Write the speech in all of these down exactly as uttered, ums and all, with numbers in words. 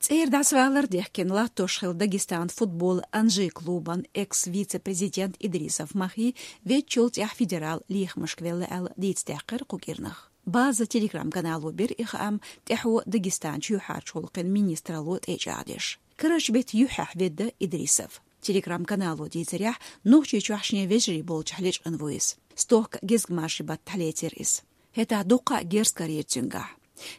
ЦӀера дӀасавалар дехкина латтош хилла Дагестан футбол «Анжи» клубан экс-вице-президент Идрисов Махи веччул цӀехь федерал лехамашка велла аьлла, дийцадаьккхира кху кӀирнах. База Telegram-канало бира и хаам тӀаьхьо Дагестан чоьхьарчу гӀуллакхийн министралло тӀечӀагӀдеш. Карарчу беттан юьххьехь ведда Идрисов. Telegram-канало дийцарехь, Нохчийчохь шен вежарий болчохь лечкъина ву иза. Стохка гезгмашин баттахь лецира иза. ХӀетахь дуккха а герз карийра цуьнгахь.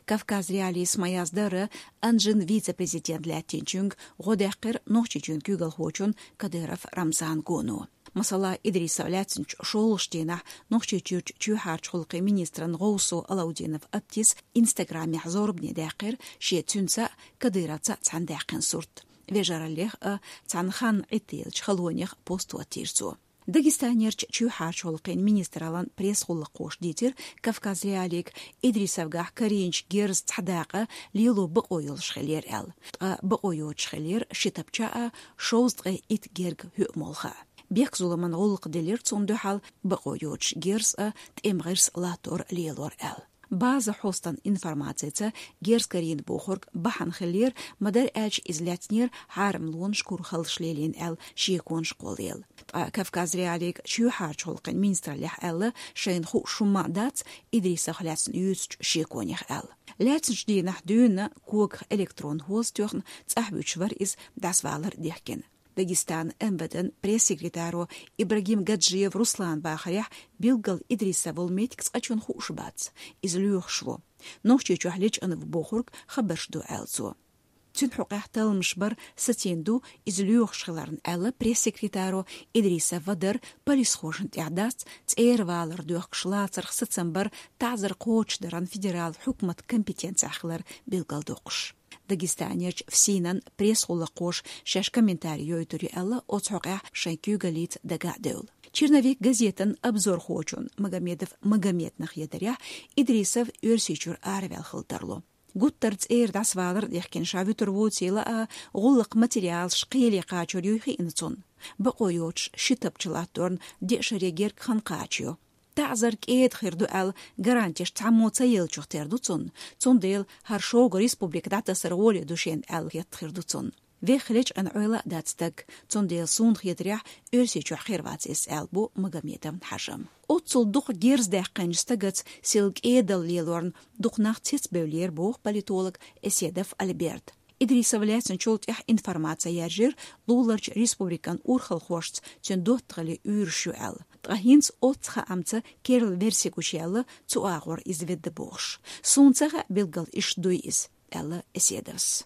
«Кавказ.Реалиис» ма-яздара, «Анжин» вице-президент лаьттинчуьнга гӀо даьккхира Нохчийчоьнан куьйгалхочунна Кадыров Рамзанна гоно. Масала, Идрисов лаьцначу шолгӀачу дийнахь Нохчийчуьрчу чоьхьарчу гӀуллакхийн министран гӀовсо Алаудинов Аптис Instagram-ехь зорбане даьккхира шен цуьнца а, Кадыровца а цхьаьна даьккхина сурт. Вежараллех а, цхьана ханна Ӏиттаеллачу халонех а пост хӀоттийра цо. Дагестанерчу чоьхьарчу гӀуллакхийн министраллан пресс-гӀуллакххоша дийцира «Кавказ.Реалиига» Идрисовгахь карийначу герзан цхьа дакъа лело бакъо йолуш хиллера аьлла. Ткъа бакъо йоцуш хиллера ши тапча а, шовзткъе итт герга хӀоьмолха а. Бехк-зуламан гӀуллакх делира цунна дуьхьал, бакъо йоцуш герз а, тӀеман гӀирс а латтор а лелора аьлла. База хьостан информацица, герз карийна бохург бахьана хиллера, ма-дарра аьлча, иза лаьцнера хьарамлонаш курхаллаш лелийна аьлла шеконаш кхоллаелла. Ткъа «Кавказ.Реалиига» чоьхьарчу гӀуллакхийн министраллехь аьлла, шайна хууш хӀумма а дац Идрисовх лаьцна юьйцучу шеконех аьлла. Лаьцначу дийнахь дуьйна когах электрон хӀоз тоьхна цӀахь вуьтуш вара иза дӀасавалар дехкина. Дагестан МВД-н пресс-секретаро Ибрагим Гаджиев Руслана бахарехь, билггал Идрисов волу меттиг цкъачунна хууш бац, иза лоьхуш ву. Нохчийчохь лечкъина ву бохург хабарш ду, аьлла цо. Цуьнан хьокъехь талламаш бар сацийна ду иза лоьхуш хиларна, аьлла пресс-секретаро. Идрисов вадар полисхошна тӀехь дац, цӀера валар доьхкуш лацарх сацам бар таӀзар кхочушдаран федерал хьукматан компетенцехь хилар билгалдоккхуш. Дагестанерчу ФСИН-ан пресс-гӀуллакххоша шаьш комментари йойтур ю аьлла оцу хьокъехь шайн куьйгаллица дага а девлла. «Черновик» газетан обзорхочун Магомедов Магомедна хетарехь, Идрисов Оьрсийчуьра араваьлла хила тарло. Гуттар цӀера дӀасавалар а дехкина ша вуьтур вуцийла а, гӀуллакхан материалаш кхеле кхачор юй хиъна цунна. Бакъо йоцуш ши тапча латторна деа шаре герга хан кхачайо. ТаӀзар кӀеда хир ду аьлла гарантеш цхьаммо ца еллачух тера ду цунна, цундела хӀара шога республика дӀатасар гӀоле ду шена аьлла хетта хир ду цунна. Вехха лечкъина Ӏойла а дац стаг, цундела суна хетарехь Оьрсийчохь хир вац иза, аьлла бу Магомедовн хьажам. Оццул дукха герз даьккхинчу стагаца сел кӀедалла лелорна дукха нах цецбевллера, боху политолог Эседов Альберт. Идрисов лаьцначул тӀаьхьа информаци яржира луларчу республикан урхалхошца цуьнан доттагӀаллин уьйраш ю аьлла. Ткъа хӀинца оццу хаамца керла верси гучуяьлла, цу агӀор иза ведда бохуш. Суна ца хаьа билггал иштта дуй иза, аьлла Эседовс.